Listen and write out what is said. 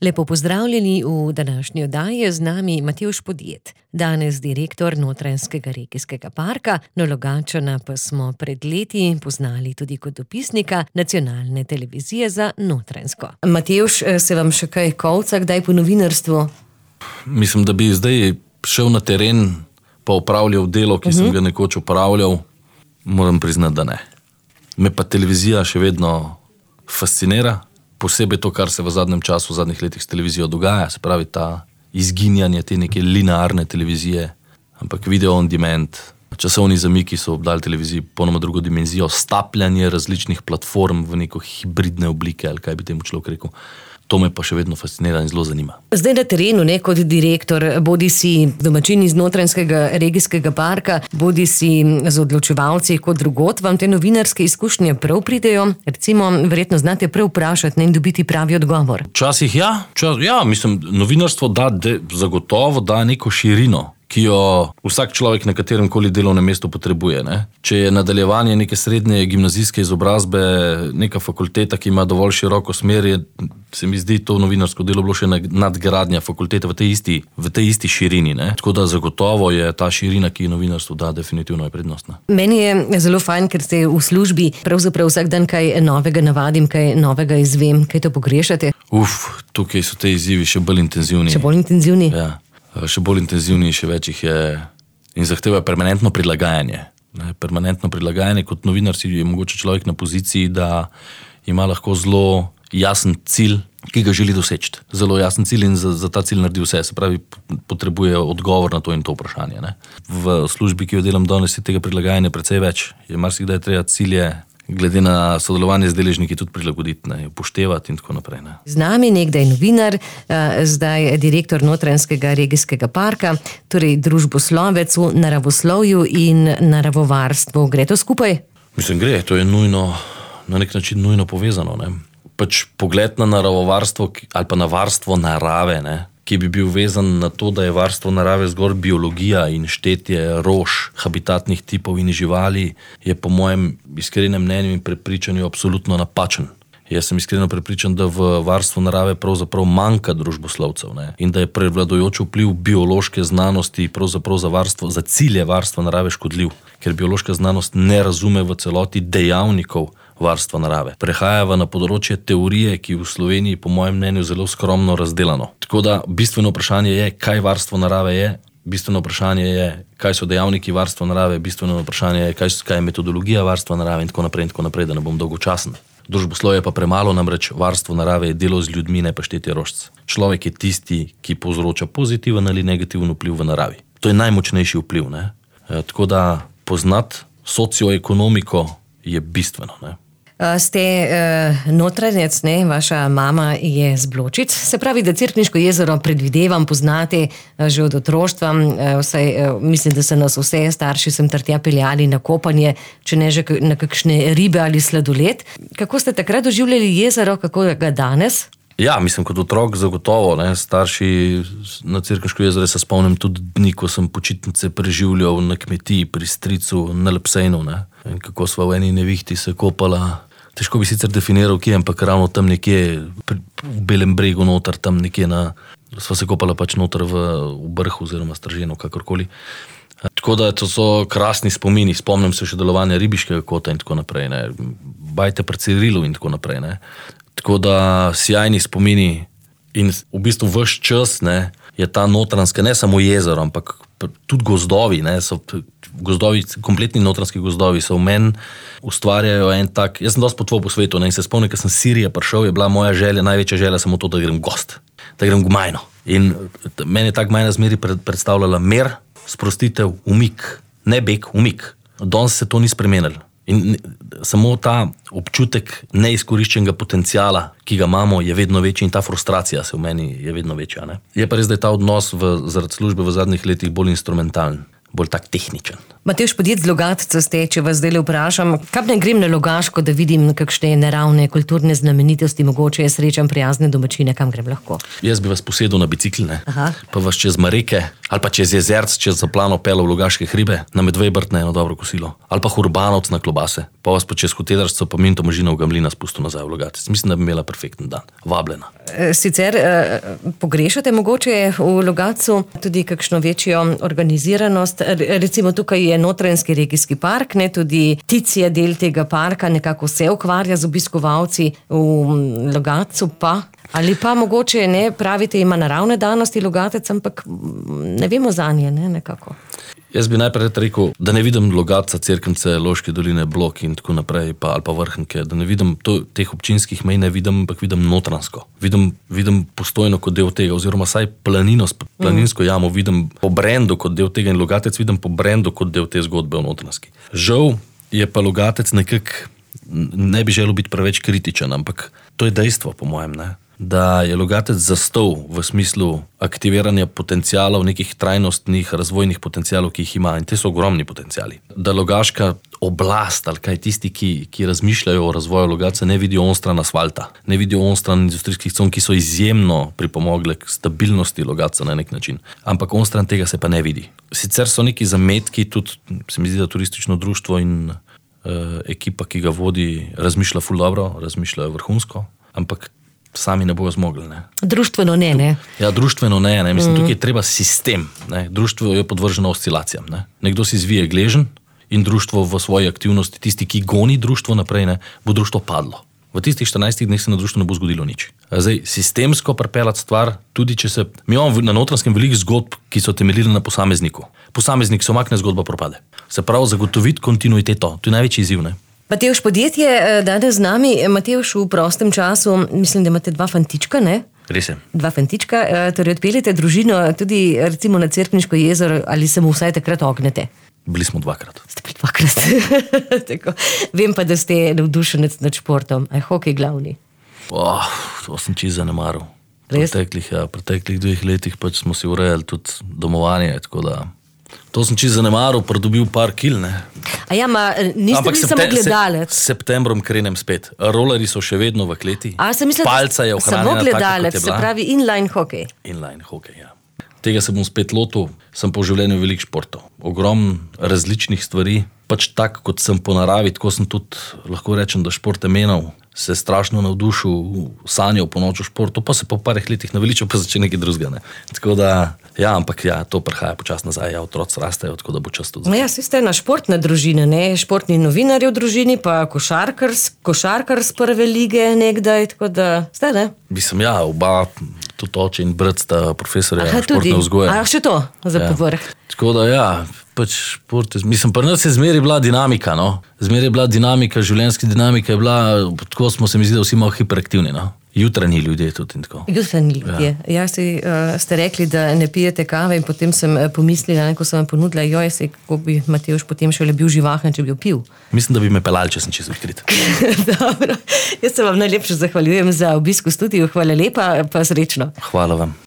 Lepo pozdravljeni v današnji oddaji, je z nami Matevž Podjed, danes direktor Notranjskega regijskega parka, no Logatčana pa smo pred leti poznali tudi kot dopisnika nacionalne televizije za Notranjsko. Matevž, se vam še kaj kolca, kdaj po novinarstvu? Mislim, da bi zdaj šel na teren pa opravljal delo, ki sem ga nekoč opravljal, moram priznati, da ne. Me pa televizija še vedno fascinira. Posebej to, kar se v zadnjem času, v zadnjih letih s televizijo dogaja, se pravi ta izginjanje te neke linearne televizije, ampak video on demand, časovni zamiki so obdali televiziji ponoma drugo dimenzijo, stapljanje različnih platform v neko hibridne oblike, ali kaj bi temu človek rekel. To me pa še vedno fascinira in zelo zanima. Zdaj na terenu, kot direktor, bodi si domačin iz Notranjskega regijskega parka, bodi si z odločevalci kot drugod, vam te novinarske izkušnje prav pridejo? Recimo, verjetno znate prav vprašati in dobiti pravi odgovor. Včasih mislim, novinarstvo zagotovo da neko širino, ki jo vsak človek na katerem koli delovnem mestu potrebuje. Ne? Če je nadaljevanje neke srednje gimnazijske izobrazbe neka fakulteta, ki ima dovolj široko smer, se mi zdi to novinarsko delo bilo še nadgradnja fakultete v tej isti širini. Ne? Tako da zagotovo je ta širina, ki novinarstvo da, definitivno je prednostna. Meni je zelo fajn, ker ste v službi, pravzaprav vsak dan kaj novega navadim, kaj novega izvem, kaj to pogrešate? Tukaj so te izzivi še bolj intenzivni. Še bolj intenzivni? Ja. Še bolj intenzivni, še več jih je in zahteva permanentno prilagajanje. Permanentno prilagajanje kot novinar si je mogoče človek na poziciji, da ima lahko zelo jasen cilj, ki ga želi doseči. Zelo jasen cilj in za ta cilj naredi vse, se pravi, potrebuje odgovor na to in to vprašanje. Ne? V službi, ki jo delam danes, je tega prilagajanja precej več. Je marsikdaj treba cilje glede na sodelovanje z deležniki tudi prilagoditi, upoštevati in tako naprej. Ne. Z nami nekdaj novinar, zdaj direktor Notranjskega regijskega parka, torej družboslovec v naravoslovju in naravovarstvu. Gre to skupaj? Mislim, gre. To je nujno, na nek način nujno povezano. Ne. Pač pogled na naravovarstvo ali pa na varstvo narave, ne, ki bi bil vezan na to, da je varstvo narave zgolj biologija in štetje rož, habitatnih tipov in živali, je po mojem iskrenem mnenju in prepričanju absolutno napačen. Jaz sem iskreno prepričan, da v varstvu narave pravzaprav manjka družboslovcev, ne? In da je prevladujoč vpliv biološke znanosti pravzaprav za cilje varstva narave škodljiv, ker biološka znanost ne razume v celoti dejavnikov varstva narave. Prehajava na področje teorije, ki v Sloveniji po mojem mnenju zelo skromno razdelano. Tako da bistveno vprašanje je, kaj varstvo narave je, bistveno vprašanje je, kaj so dejavniki varstva narave, bistveno vprašanje je, kaj je metodologija varstva narave in tako naprej, da ne bom dolgočasen. Družboslovje pa premalo, namreč varstvo narave je delo z ljudmi, ne pa štetje rožc. Človek je tisti, ki povzroča pozitiven ali negativen vpliv v naravi. To je najmočnejši vpliv. Ne? Tako da poznati socioekonomiko je bistveno. Ne? Ste Notranjec, ne? Vaša mama je z Bločic. Se pravi, da Cerkniško jezero predvidevam, poznate že od otroštva. Mislim, da so nas vse starši sem tja peljali na kopanje, če ne že na kakšne ribe ali sladoled. Kako ste takrat doživljali jezero, kako ga danes? Ja, mislim, kot otrok zagotovo. Ne? Starši na Cerkniško jezero se spomnim tudi dni, ko sem počitnice preživljal na kmetiji pri stricu na Lepsejnu. Ne? In kako sva v eni nevihti se kopala. Težko bi sicer definiral, kje, ampak ravno tam nekje v Belem bregu noter, tam nekje sva se kopala pač noter v Brhu oziroma Strženu, kakorkoli. Tako da to so krasni spomini. Spomnim se še delovanja ribiškega kota in tako naprej. Ne. Bajte pri Cirilu in tako naprej. Ne. Tako da sjajni spomini in v bistvu ves čas, ne, je ta Notranjska, ne samo jezero, ampak tudi gozdovi, ne, so gozdovi, kompletni notranjski gozdovi so v meni ustvarjajo en tak, jaz sem dosti potoval po svetu, ne, in se spomnim, ko sem z Sirije prišel, je bila moja želja, največja želja samo to, da grem gost, da grem v Gmajno. In meni je tak Gmajna zmeri predstavljala mir, sprostitev, umik, ne beg, umik. Danes se to ni spremenilo. In samo ta občutek neizkoriščenega potenciala, ki ga imamo, je vedno večji in ta frustracija se v meni je vedno večja. Ne? Je pa res, da je ta odnos zaradi službe v zadnjih letih bolj instrumentalen, bolj tak tehničen. Matevž, podjet z Logatca ste, če vas zdaj vprašam, kam ne grem na Logaško, da vidim kakšne naravne kulturne znamenitosti, mogoče je srečam prijazne domačine, kam grem lahko? Jaz bi vas posedel na bicikl, Aha. pa vas čez Mareke ali pa čez Jezerc, čez Zaplano pelal v Logaške hribe, na Medvejbrt na eno dobro kosilo, ali pa Hurbanovc na klobase, pa vas pa čez Hotelarstvo pa Minto Možina v Gamlina spustil nazaj v Logatec. Mislim, da bi imela perfekten dan. Vabljena. Sicer pogrešate mogoče v Logatcu tudi kakšno večjo organiziranost, recimo tukaj je Notranjski regijski park, ne, tudi Tic je del tega parka, nekako se ukvarja z obiskovalci, v Logatcu pa, ali pa mogoče ne, pravite, ima naravne danosti Logatec, ampak ne vemo zanje, ne, nekako. Jaz bi najprej rekel, da ne vidim Logatca, Cerknice, Loške doline, Blok in tako naprej, ali pa Vrhnike, da ne vidim teh občinskih mej, ne vidim, ampak vidim notransko. Vidim Postojno kot del tega, oziroma saj planinsko jamo vidim po brendu kot del tega in Logatec vidim po brendu kot del te zgodbe o notranski. Žal je pa Logatec nekako, ne bi želel biti preveč kritičen, ampak to je dejstvo, po mojem, ne? Da je Logatec zastal v smislu aktiviranja potencialov, nekih trajnostnih razvojnih potencialov, ki jih ima, in te so ogromni potenciali. Da logaška oblast ali kaj tisti, ki razmišljajo o razvoju Logatca, ne vidijo onstran asfalta, ne vidijo onstran industrijskih con, ki so izjemno pripomogle k stabilnosti Logatca na nek način. Ampak onstran tega se pa ne vidi. Sicer so neki zametki, tudi se mi zdi, da turistično društvo in ekipa, ki ga vodi, razmišlja ful dobro, razmišljajo vrhunsko, ampak sami ne bojo zmogli. Ne. Društveno ne. Ja, društveno ne. Mislim, tukaj je treba sistem. Ne. Društvo je podvrženo oscilacijam. Ne. Nekdo si zvije gležen in društvo v svoji aktivnosti, tisti, ki goni društvo naprej, ne, bo društvo padlo. V tistih 14 dneh se na društvu ne bo zgodilo nič. Zdaj, sistemsko pripeljati stvar, tudi če se... Mi imamo na Notranjskem veliko zgodb, ki so temeljile na posamezniku. Posameznik se umakne, zgodba propade. Se pravi, zagotoviti kontinuiteto. To je največji izziv, ne. Matevž, podjetje danes z nami. Matevž, v prostem času, mislim, da imate 2 fantička, ne? Res je. 2 fantička, torej odpeljete družino tudi recimo na Cerkniško jezero, ali se mu vsaj takrat ognete? Bili smo 2-krat. Ste bili 2-krat. Tako. Vem pa, da ste navdušenec nad športom. A je hokej glavni? To sem čisto zanemaril. Res? V preteklih 2 letih pač smo si urejali tudi domovanje, tako da... To sem čisto zanemaril, pridobil par kil, ne. A ja, niste bili samo gledalec? S septembrom krenem spet. Rolerji so še vedno v kleti. Palca je ohranjena samo gledalec, tako, kot je bila. se pravi inline hokej. Inline hokej, ja. Tega se bom spet lotil, sem po življenju veliko športov. Ogromno različnih stvari, pač tako, kot sem po naravi, tako sem tudi, lahko rečem, da šport je menil, se strašno navdušil, sanjal po noču športu, pa se po parih letih naveličal, pa začne nekaj drugega, ne. Tako da, ja, ampak ja, to prihaja počasno nazaj, ja, otroci rastejo, tako da bo čas tudi. Ja, svi ste ena športna družina, ne, športni novinarji v družini, pa košarkar z prve lige nekdaj, tako da ste, ne? Mislim, ja, oba, tudi oče in brat sta profesorja športne vzgoje. A še to, za povrh. Tako da, ja, pač šport, mislim, pri nas je zmeraj bila dinamika, no. Zmeraj je bila dinamika, življenjska dinamika je bila, tako smo se mi zdi, da vsi malo hiperaktivni, no. Jutranji ljudje tudi in tako. Jutranji ljudje. Ja, ste rekli, da ne pijete kave in potem sem pomislila, ko sem vam ponudila, kako bi Matevž potem šele bil živahen, če bi jo pil. Mislim, da bi me pelali, če sem čisto odkrit. Dobro. Jaz se vam najlepše zahvaljujem za obisk v studiu. Hvala lepa, pa srečno. Hvala vam.